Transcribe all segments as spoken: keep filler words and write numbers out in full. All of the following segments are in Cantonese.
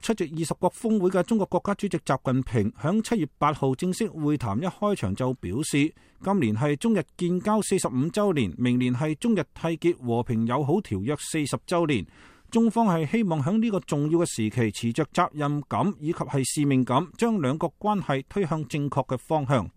出席二十國峰會嘅中國國家主席習近平響七月八號正式會談一開場就表示，今年係中日建交四十五周年，明年係中日締結和平友好條約四十周年。中方係希望響呢個重要嘅時期，持着責任感以及係使命感，將兩國關係推向正確嘅方向。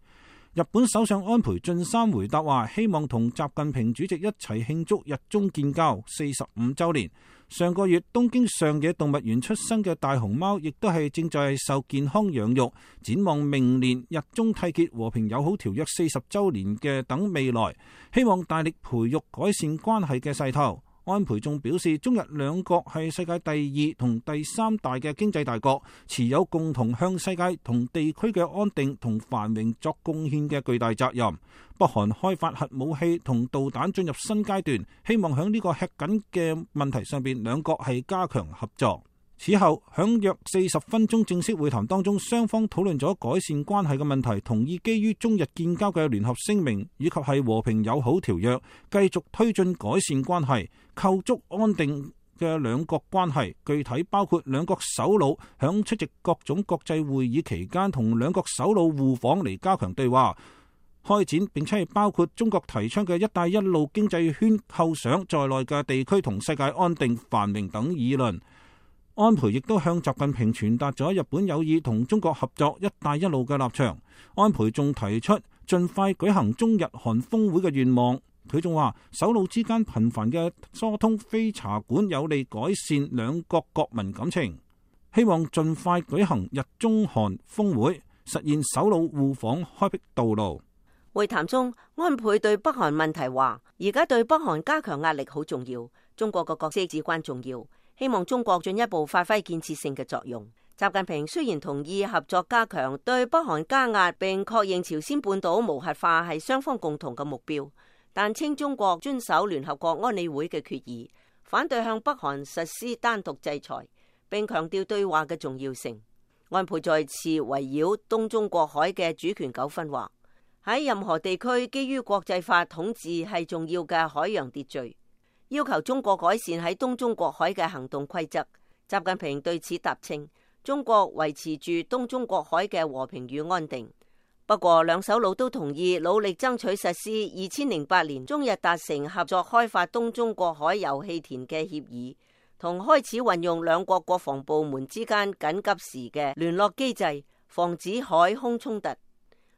日本首相安倍晉三回答話，希望同習近平主席一齊慶祝日中建交四十五周年。上個月東京上野動物園出生嘅大熊貓，亦都係正在受健康養育。展望明年日中締結和平友好條約四十周年嘅等未來，希望大力培育改善關係嘅勢頭。安倍仲表示，中日兩國係世界第二同第三大嘅經濟大國，持有共同向世界同地區嘅安定同繁榮作貢獻嘅巨大責任。北韓開發核武器同導彈進入新階段，希望喺呢個吃緊嘅問題上邊，兩國係加強合作。此後，響約四十分鐘正式會談當中，雙方討論咗改善關係嘅問題，同意基於中日建交嘅聯合聲明以及係和平友好條約，繼續推進改善關係，構築安定嘅兩國關係。具體包括兩國首腦響出席各種國際會議期間，同兩國首腦互訪嚟加強對話開展，並且係包括中國提倡嘅一帶一路經濟圈構想在內嘅地區同世界安定繁榮等議論。安倍亦都向習近平傳達咗日本有意同中國合作一帶一路嘅立場。安倍仲提出盡快舉行中日韓峰會嘅願望。佢仲話，首腦之間頻繁嘅疏通非茶館有利改善兩國國民感情，希望盡快舉行日中韓峰會，實現首腦互訪開闢道路。會談中，安倍對北韓問題話，而家對北韓加強壓力好重要，中國嘅角色至關重要。希望中國進一步發揮建設性嘅作用。習近平雖然同意合作加強對北韓加壓，並確認朝鮮半島無核化係雙方共同嘅目標，但稱中國遵守聯合國安理會嘅決議，反對向北韓實施單獨制裁，並強調對話嘅重要性。安倍再次圍繞東中國海嘅主權糾紛話，喺任何地區基於國際法統治係重要嘅海洋秩序，要求中國改善喺東中國海嘅行動規則。習近平對此答稱，中國維持住東中國海嘅和平與安定。不過，兩首腦都同意努力爭取實施二千零八年中日達成合作開發東中國海油氣田嘅協議，同開始運用兩國國防部門之間緊急時嘅聯絡機制，防止海空衝突。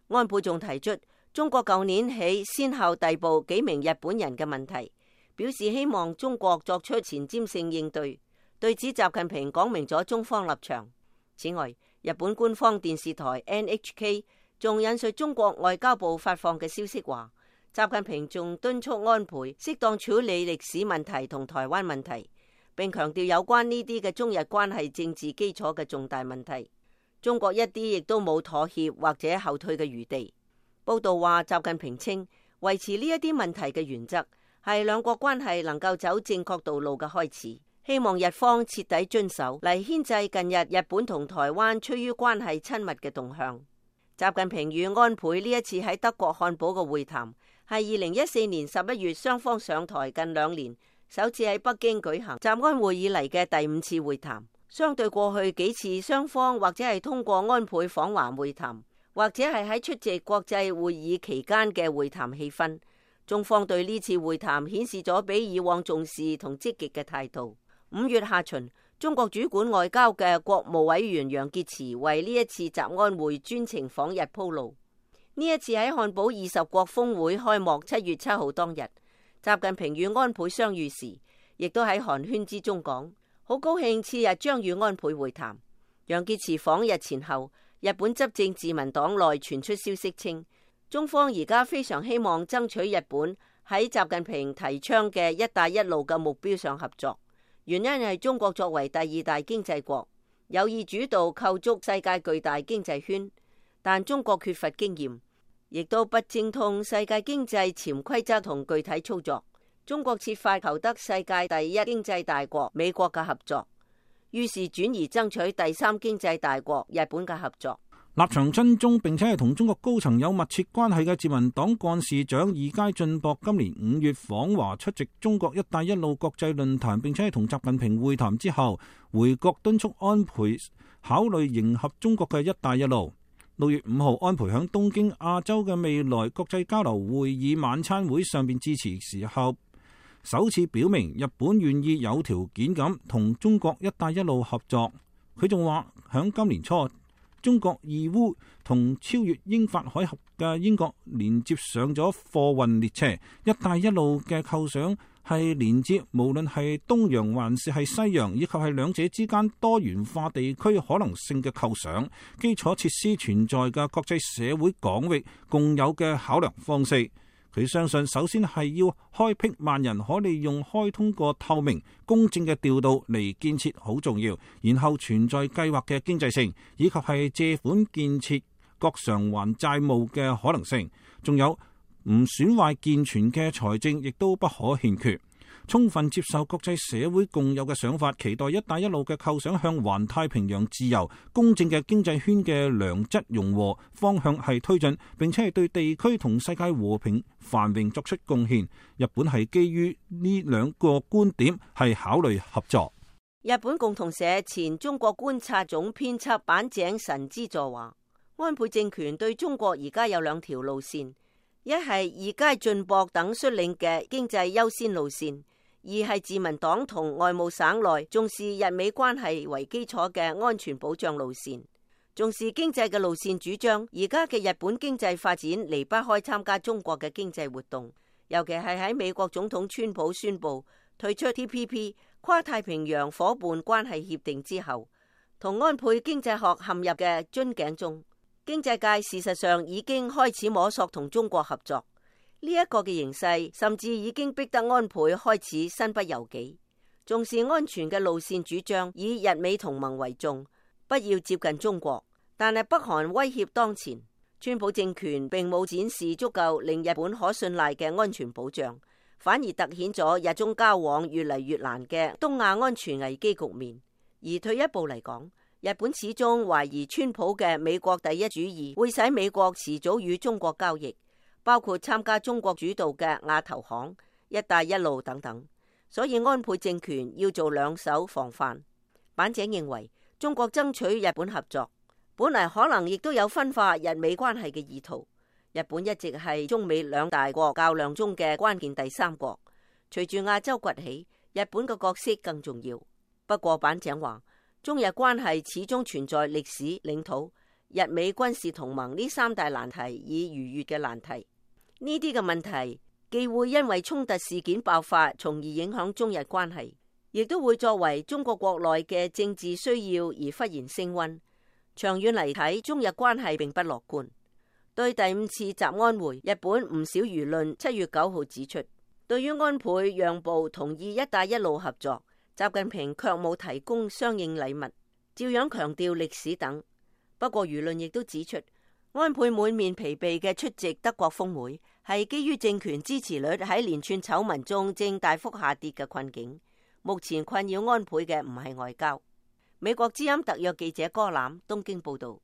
安倍仲提出，中國舊年起先後逮捕幾名日本人嘅問題，表示希望中國作出前瞻性應對。對此，習近平講明咗中方立場。此外，日本官方電視台 N H K 仲引述中國外交部發放嘅消息話，習近平仲敦促安倍適當處理歷史問題同台灣問題，並強調有關呢啲嘅中日關係政治基礎嘅重大問題，中國一啲亦都冇妥協或者後退嘅餘地。報道話，習近平稱維持呢一啲問題嘅原則係兩國關係能夠走正確道路嘅開始，希望日方徹底遵守嚟牽制近日日本同台灣趨於關係親密嘅動向。習近平與安倍呢一次喺德國漢堡嘅會談，係二零一四年十一月雙方上台近兩年首次喺北京舉行習安會以嚟嘅第五次會談。相對過去幾次雙方或者係通過安倍訪華會談，或者係喺出席國際會議期間嘅會談氣氛，中方對呢次會談顯示咗比以往重視同積極嘅態度。五月下旬，中國主管外交嘅國務委員楊潔篪為呢一次習安會專程訪日鋪路。呢一次喺漢堡二十國峰會開幕七月七號當日，習近平與安倍相遇時，亦都喺寒暄之中講，好高興次日將與安倍會談。楊潔篪訪日前後，日本執政自民黨內傳出消息稱，中方而家非常希望爭取日本喺習近平提倡嘅一帶一路嘅目標上合作。原因係中國作為第二大經濟國，有意主導構築世界巨大經濟圈，但中國缺乏經驗，亦都不精通世界經濟潛規則同具體操作。中國設法求得世界第一經濟大國美國嘅合作，於是轉而爭取第三經濟大國日本嘅合作。立場親中並且係同中國高層有密切關係嘅自民黨幹事長二階俊博今年五月訪華出席中國一帶一路國際論壇，並且係同習近平會談之後，回國敦促安倍考慮迎合中國嘅一帶一路。六月五號，安倍響東京亞洲嘅未來國際交流會議晚餐會上邊致辭時候，首次表明日本願意有條件咁同中國一帶一路合作。佢仲話響今年初，中國義烏同超越英法海峽嘅英國連接上咗貨運列車，一帶一路嘅構想係連接無論係東洋還是係西洋，以及係兩者之間多元化地區可能性嘅構想，基礎設施存在嘅國際社會港域共有嘅考量方式。佢相信，首先係要開闢萬人可利用、開通過透明、公正嘅調度嚟建設好重要，然後存在計劃嘅經濟性，以及係借款建設各償還債務嘅可能性，仲有唔損壞健全嘅財政，亦都不可欠缺。充分接受國際社會共有嘅想法，期待一帶一路嘅構想向環太平洋自由、公正嘅經濟圈嘅良質融合方向係推進，並且係對地區同世界和平繁榮作出貢獻。日本係基於呢兩個觀點係考慮合作。日本共同社前中國觀察總編輯板井神之助話，安倍政權對中國而家有兩條路線，一係二階俊博等率領嘅經濟優先路線，二係自民黨同外務省內重視日美關係為基礎嘅安全保障路線。重視經濟嘅路線主張，而家嘅日本經濟發展離不開參加中國嘅經濟活動，尤其係喺美國總統川普宣布退出 T P P 跨太平洋夥伴關係協定之後，同安倍經濟學陷入嘅樽頸中。經濟界事實上已經開始摸索同中國合作。呢一個嘅形勢，甚至已經逼得安倍開始身不由己。重視安全嘅路線主張，以日美同盟為重，不要接近中國。但係北韓威脅當前，川普政權並冇展示足夠令日本可信賴嘅安全保障，反而凸顯咗日中交往越嚟越難嘅東亞安全危機局面。而退一步嚟講，日本始終懷疑川普嘅美國第一主義會使美國遲早與中國交易，包括參加中國主導嘅亞投行、一帶一路等等。所以安倍政權要做兩手防範。板井認為，中國爭取日本合作，本嚟可能亦都有分化日美關係嘅意圖。日本一直係中美兩大國較量中嘅關鍵第三國，隨住亞洲崛起，日本嘅角色更重要。不過板井話，中日關係始終存在歷史、領土、日美軍事同盟呢三大難題以逾越嘅難題。呢啲嘅問題既會因為衝突事件爆發，從而影響中日關係，亦都會作為中國國內嘅政治需要而忽然升溫。長遠嚟睇，中日關係並不樂觀。對第五次習安會，日本唔少輿論七月九號指出，對於安倍讓步同意一帶一路合作，習近平卻冇提供相應禮物，照樣強調歷史等。不過輿論亦都指出，安倍滿面疲憊嘅出席德國峰會，係基於政權支持率喺連串醜聞中正大幅下跌嘅困境。目前困擾安倍嘅唔係外交。美國之音特約記者柯攬東京報道。